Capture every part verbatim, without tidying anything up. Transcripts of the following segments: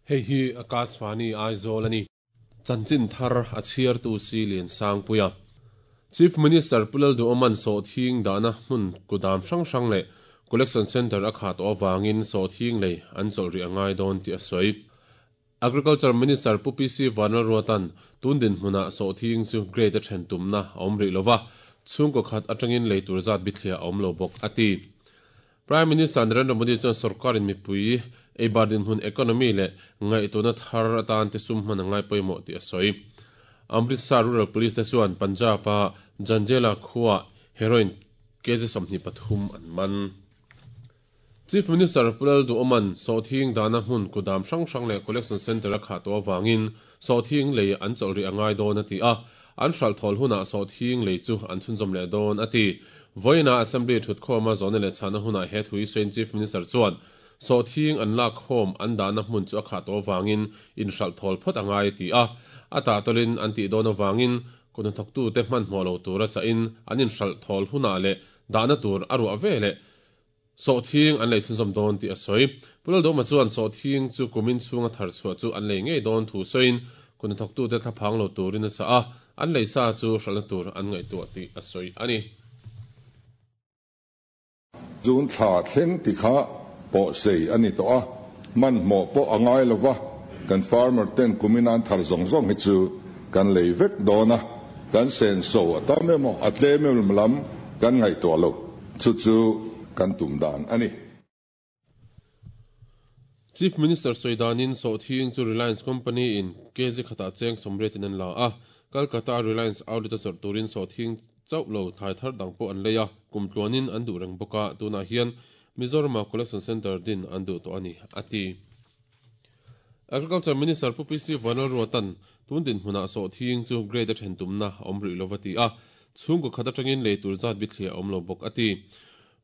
Hei hi Akashvani Aizawl ani. Chanchin thar a chhiartu si lian sangpuia. Chief Minister Pu Lalduhoma'n sawhthing dahna hmun kudam hrang hrang leh Collection Centre a khat tawh avangin sawhthing lei an chawlh rih a ngai dawn tih a sawi. Agriculture Minister Pu P C Vanlalruata'n tun dinhmunah sawhthing chu grade a then tumna a awm rih lova, chhungkaw khat atangin lei tur zat bithliah a awm lo bawk a ti. Prime Minister Narendra Modi chuan sorkarin mipui eibar dinhmun economy leh ngaihtuahna thar atan te sum hman a ngai pawimawh tih a sawi. Amritsar Rural Police te chuan Punjab a Janjela khuaah heroin kg sawmhnih pathum an man. Chief Minister Pu Lalduhoma'n sawhthing dahna hmun kudam hrang hrang leh collection centre a khah tawh avangin sawhthing lei an chawlh rih a ngai dawn a ti a, an hralh thawl hunah sawhthing lei chu an chhunzawm leh dawn a ti. Vawiina Assembly thutkhawma zawhna leh chhahna hunah he thu hi sawiin Chief Minister chuan sawhthing an lak khawm an dahna hmun chu a khah tawh avangin inhralh thawl phawt a ngai a ti a, a tahtawlin an tih dawn avangin kuthnathawktute hmanhmawh lo tura chahin an inhralh thawl hunah leh dahna tur a ruah ve leh sawhthing an lei chhunzawm dawn tih a sawi. Pu Lalduhoma chuan sawhthing chu kumin chhunga thar chhuah chu an lei ngei dawn thu sawiin kuthnathawktute thlaphang lo turin a chah a, an lei sa chu hralhna tur an ngaihtuah tih a sawi a ni. June thla thleng ti kha pawh sei a ni tawh a, hmanhmawh pawh a ngai lova, kan farmer ten kumin an thar zawng zawng hi chu kan lei vek dawn a, kan senso a tam emaw a tlem emaw lam kan ngaihtuah lo, chu chu kan tum dan a ni. Chief Minister sawi danin sawhthing chu Reliance Company in kg khatah cheng sawmriatin an la a, Calcutta Reliance outlet a zawrh turin sawhthing chauh lo thlai thar dang pawh an lei a, kum tluanin an duh reng bawk a, tunah hian Mizorama Collection Centre din an duh tawh a ni, a ti. Agriculture Minister Pu P C Vanlalruata'n tun dinhmunah sawhthing chu grade a then tumna a awm rih lova ti a, chhungkaw khat atangin lei tur zat bithliah a awm lo bawk a ti.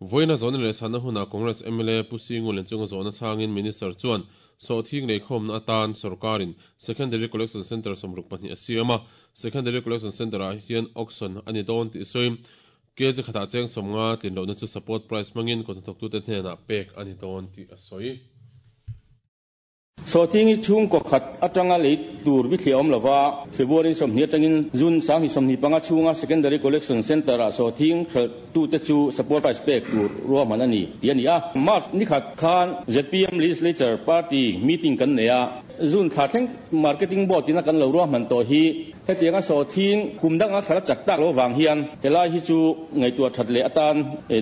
Vawiina zawhna leh chhanna hunah Congress M L A Pu Singu Lenchunga zawhna chhangin Minister chuan sawhthing leikhawmna atan sorkarin Secondary Collection Centre sawmruk pahnih a siam a, Secondary Collection Centre ah hian auction a ni dawn tih sawiin kg khatah cheng sawmnga tlin lohna chu support price hmangin kawthnathawktute hnenah pek a ni dawn tih a sawi. Sawhthing hi chhungkaw khat atanga lei tur bithliah awm lova, February sawmhnih atangin June sanghnih sawmhnih panga chhunga Secondary Collection Centre-ah sawhthing hralhtute chu support price pek tur ruahman a ni tih a ni a. March ni khat khan Z P M Legislature Party meeting kan nei a, June thla thleng Marketing Board ina kan lo ruahman tawh hi hetianga sawhthing kum danga hralh a chak tak lo vang hian helai hi chu ngaihtuah that leh atan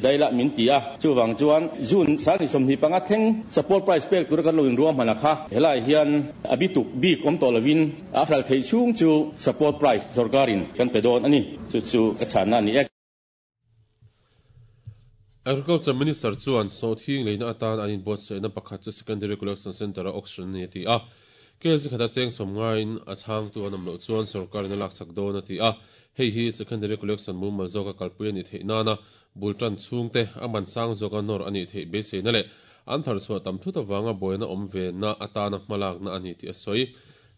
daila min ti a, chuwang chuan June sanghnih sawmhnih panga thleng support price pek tura kan lo inruahman a kha helai hian a bituk bik awm tawh lovin a hralh theih chhung chu support price sorkarin kan pe dawn a ni, chu chu ka chhanna a ni e. Agriculture Minister chuan sawhthing leina atan an inbuatsaihna pakhat chu Secondary Collection Centre a auction a ni a ti a, kg khata cheng sawmngain a chhangtu an awm loh chuan sorkarin a lak chak dawn a ti a, hei hi Secondary Collection mumal zawka kalpui a nih theih nana bultan chhungte a man sang zawka nawr a nih theih beiseina leh an thar chhuah tam thut awanga buaina awm ve na atana hmalakna a ni tih a sawi.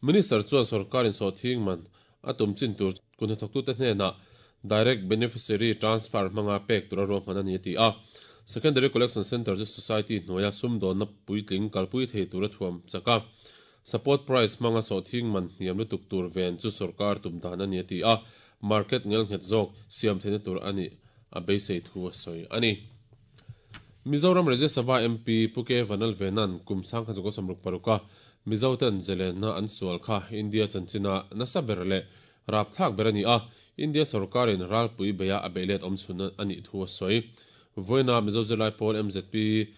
Minister chuan sorkarin sawhthing man a tum chin tur kuhnathawktute hnenah Direct Beneficiary Transfer hmanga pek tur a ruahman a ni a ti a, Secondary Collection Centre chu society hnuaia sumdawnna puitling kalpui thei tur a thuam chak a, support price hmanga sawhthing man hniam lutuk tur ven chu sorkar tum dan a ni a ti a, market ngelnghet zawk siam theihna tur a ni a beisei thu a sawi a ni. Mizoram Rajya Sabha M P Pu K Vanlalvena'n kum sangkhat zakua sawmruk paruka Mizoten zelenna an sual kha India chanchina nasa ber leh rapthlak ber a ni a, India sorkarin ralpui beia a beilet awm chhun a nih thu a sawi. Vawiina Mizo Zirlai Pawl M Z P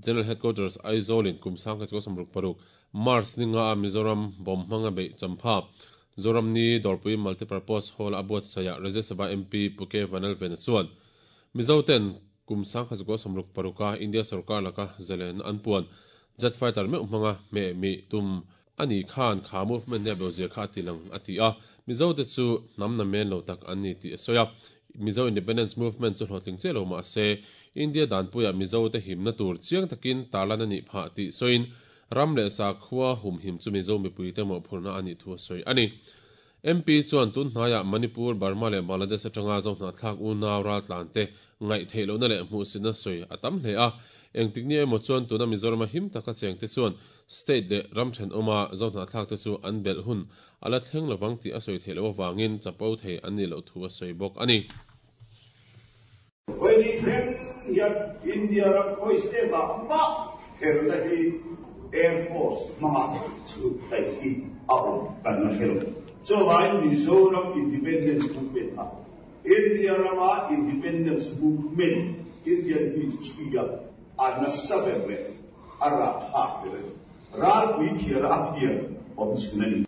General Headquarters Aizawlin kum sangkhat zakua sawmruk paruk March ninga a Mizoram bawm hmanga beih champha Zoram ni Dawrpui Multipurpose Hall a buatsaihah Rajya Sabha M P Pu K Vanlalvena chuan Mizoten kum sangkhat zakua sawmruk paruka India sarkar laka zelen an puan jet fighter meuh hmanga hme mi tum ani khan kha movement ne bozia kha tilang a ti a, Mizo te chu hnam na men lo tak an ni tih a sawi a, Mizo Independence Movement chu hlawhtling che lo ma se India danpuia Mizo te himna tur chiang takin tarlan ani phah tih sawiin ram leh sa khua hum him chu Mizo mipui te mawh phurna ani thu a sawi ani. M P chuan tun hnaiah Manipur, Burma leh Bangladesh atanga zo hna thlak u nau ral tlan te ngaih theih lohna leh hmuh sitna sawi a tam hle a, Engtik ni emaw chuan tuna Mizoram a him taka cheng te chuan state leh ram thenawma Zohnahthlak te chu an belh hun a la thleng lovang tih a sawi theih loh avangin chapo thei an nih loh thu a sawi bawk a ni. Vawiin thleng hian India ram khawi state ah mah helna hi Air Force hmanga chhut theih hi a awm kan la hre lo. Chuvangin Mizoram Independence Movement kha India rama Independence Movement Indian history a a nasa ber leh a rapthlak ber a ni. Ralpui phiar a phiar awm chhun a ni.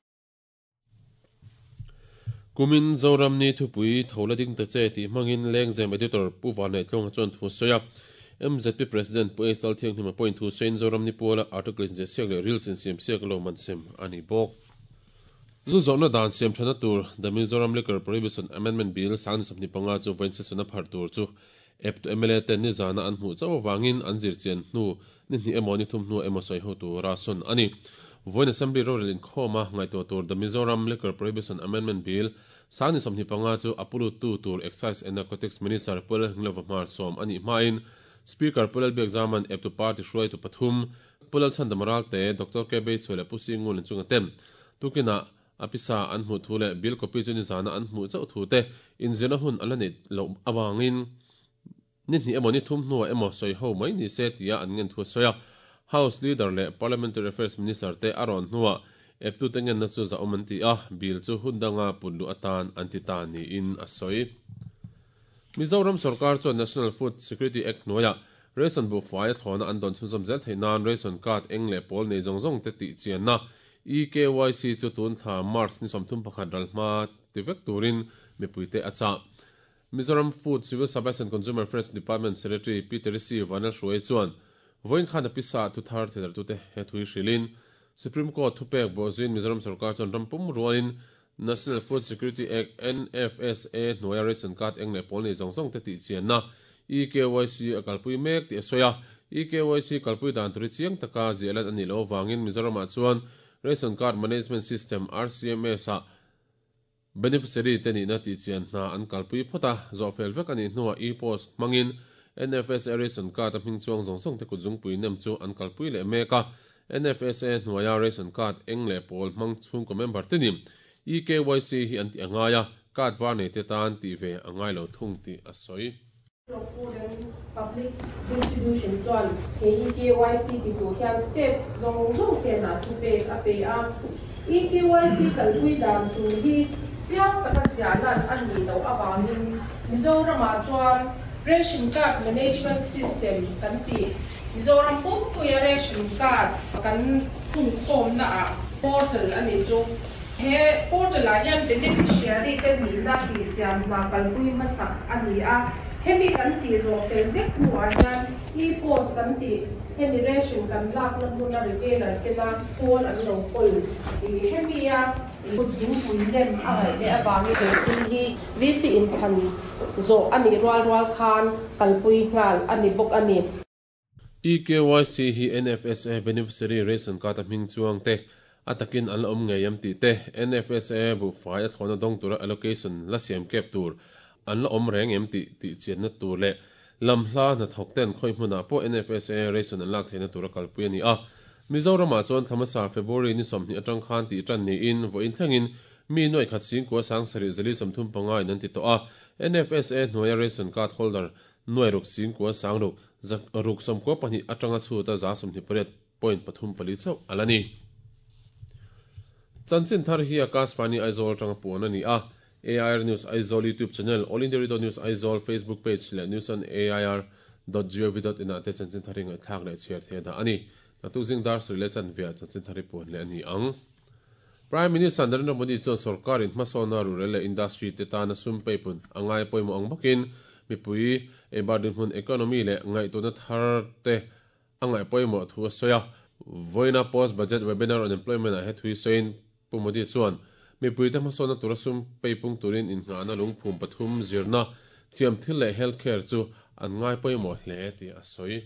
Kumin Zoram ni thupui tho la ding ta che tih hmangin Lengzem Editor Pu Vanneihtlunga chuan thu a sawi a. M Z P President Pu Aisal Thianghlima pawhin thu sawiin Zoram ni puala article inziah siak leh reels insiam siak lo man sem a ni bawk. Zu zawrhna dan siam thana tur The Mizoram Liquor Prohibition Amendment Bill sang ni sawmhnih panga chu vawiin session a pharh tur chu ep tu M L A ten nizana an hmuh chauh avangin an zirchian hnu ni hnih emaw ni thum hnu emaw sawi ho tura sawn a ni. Vawiin Assembly rorel inkhawm a ngaihtuah tur The Mizoram Liquor Prohibition Amendment Bill sang ni sawmhnih panga chu a puluttu tur Excise and Narcotics Minister Pu Lalhnilova hmar sawm a nih hmain Speaker Pu Lalbiakzaman eptu party hruaitu pathum Pu Lalchhandama Ralte, Doctor K Beichhua leh Pu Singul inchunga ten tukinah a pisa an hmuh thu leh bill copy chu nizana an hmuh chauh thu te inzirna hun a la neih loh avangin ni hnih emaw ni thum hnuah emaw sawi ho mai ni se tia an ngen thu a sawi a. House Leader leh Parliamentary Affairs Minister te a rawn hnuah eptute ngenna chu zahawm an ti a, bill chu hun danga put luh atan an ti ta niin a sawi. Mizoram sorkar chuan National Food Security Act hnuaiah ration buhfai a thlawna an dawn chhunzawm zel theih nan ration card eng leh pawl nei zawng zawng te tih chianna E K Y C chu tun thla March ni sawmthum pakhat ral hma ti vek turin mipuite a chah. Mizoram Food, Civil Supplies and Consumer Affairs Department Secretary Pi Teresi Vanlalhruai chuan vawiin khan a pisa thu thar thedartute he thui hrilhin Supreme Court thupek bawhzuiin Mizoram sorkar chuan rampum rualin National Food Security Act N F S A hnuaia ration card eng leh pawl nei zawng zawng te tih chianna E K Y C a kalpui mek tih a sawi a. E K Y C kalpui dan turi chiang taka ziah lan a nih loh avangin Mizoramah chuan Ration Card Management System R C M S ah beneficiary te nihna tih chian hna an kalpui phawt a, zawhfel vek a nih hnuah e-post hmangin N F S A ration card a hming chuang zawng zawng te kutzungpui nem chu an kalpui leh mek a. N F S A hnuaia ration card eng leh pawl hmang chhungkaw member te ni E K Y C hi an ti angai a, card var nei te tan tih ve angai lo thung tih a sawi. Food and Public Distribution chuan he E K Y C ti tur hian state zawng zawng hnenah thupek a pe a. E K Y C kalpui dan tur hi chiang taka ziah lan a nih loh avangin Mizoramah chuan Ration Card Management System kan ti Mizoram pumpuia ration card kan khungkhawmna ah portal ani chu he portal ah hian beneficiary te nihna tih chian hna kalpui hmasak a ni a. Hemi kan tih zawh fel vek hnuah hian e-post kan tih hemi ration kan lakna hmuna retailer tena kawl an lo kawl hemi a kutzungpui nem a ngaih leh avangin thil hi V C inthlan zawh a nih rual rual khan kalpui nghal a ni bawk a ni. E K Y C hi N F S A beneficiary ration card a hming chuang te a takin an la awm ngei am tih te N F S A buhfai a thlawna dawng tura allocation la siam kep tur an la awm reng em tih tih chianna tur leh lam hla hnathawk ten khawi hmunah pawh N F S A ration an lak theihna tura kalpui a ni a. Mizoramah chuan thlamasa February ni sawmhnih atang khan tih tan niin vawiin thlengin mi nuai khat singkua sang sarih zali sawmthum panga in an ti tawh a. N F S A hnuaia ration card holder nuai ruk singkua sang ruk ruk sawmkua pahnih atanga chhuta za sawmhnih pariat point pathum pali chauh ala ni. Chanchin thar hi Akashvani Aizawl tanga puan a ni a. A I R News Aizawl YouTube channel, All India Radio News Aizawl Facebook page leh news on A I R dot gov dot in ah te chanchin thar hi ngaihthlak leh chhiar the dah a ni. Naktuk zing dar sarih leh chanve chanchin thar hi puan leh a ni ang. Prime Minister Narendra Modi chuan sarkarin hmasawna rural leh industry te tana sum peipun angai pawimawh ang bawkin mipui eibar dinhmun economy leh ngaihtuahna thar te a ngaih pawimawh thu a sawi a. Vawiina post budget webinar on employment ah he thui sawiin Pu Modi chuan mipui te hmasawna tura sum peipung turin inngahna lungphum pathum zirna thiam thil leh healthcare chu an ngai pawimawh hle tih a sawi.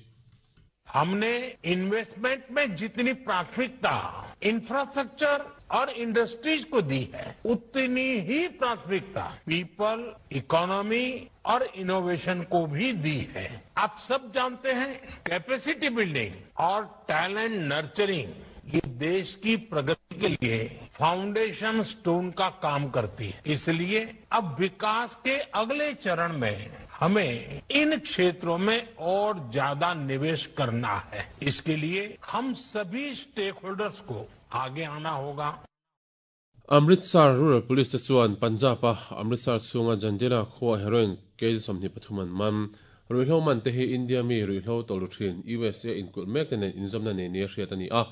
हमने इन्वेस्टमेंट में जितनी प्राथमिकता इंफ्रास्ट्रक्चर और इंडस्ट्रीज को दी है, उतनी ही प्राथमिकता people, economy और इनोवेशन को भी दी है। आप सब जानते हैं, कैपेसिटी बिल्डिंग और टैलेंट नर्चरिंग ये देश की प्रगति के लिए फाउंडेशन स्टोन का काम करती है। इसलिए अब विकास के अगले चरण में हमें इन क्षेत्रों में और ज्यादा निवेश करना है। इसके लिए हम सभी स्टेक होल्डर्स को आगे आना होगा। Amritsar Rural Police te chuan Punjab a Amritsar chhunga Jandiala khua heroin kg sawmhnih pathum an man. Ruihhlo man te hi India mi ruihhlo tawlh thin U S A inkulh mek te nen inzawmna nei nia hriat a ni a.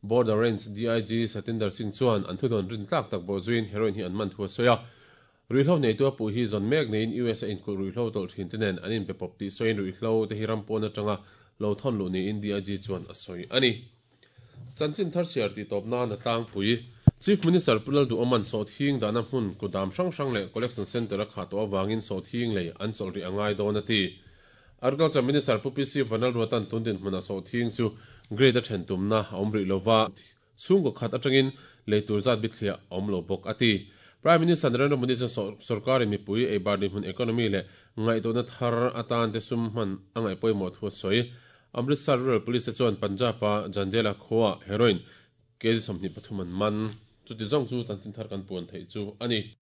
Border Range D I G Satinder Singh chuan an thudawn rin tlak tak bawh zuiin heroin hi an man thu a sawi a. Ruihhlo nei tu a puh hi zawn mek neiin U S A inkulh ruihhlo tawlh thin te nen an inpe pawp tih sawiin ruihhlo te hi ram pawn atanga lo thawn luh niin D I G chuan a sawi a ni. Chanchin thar siar tih tawp nan a tlangpui. Chief Minister Pu Lalduhoma'n Sawhthing dahna hmun kudam hrang hrang leh Collection Centre a khah tawh avangin Sawhthing lei an chawlh rih a ngai dawn a ti. Agriculture Minister Pu P C Vanlalruata'n tun dinhmuna Sawhthing chu grade a then tumna a awm rih lova, chhungkaw khat atangin lei tur zat bithliah a awm lo bawk a ti. Prime Minister Narendra Modi chuan sarkar in mipui eibar dinhmun economy leh ngaihtuahna thar atan te sum hman a ngaih pawimawh thu a sawi. Amritsar Rural Police chuan Punjab a Jandiala khua heroin kg sawmhnih pathum an man. Chuti zawng chu chanchin thar kan puan theih chu a ni.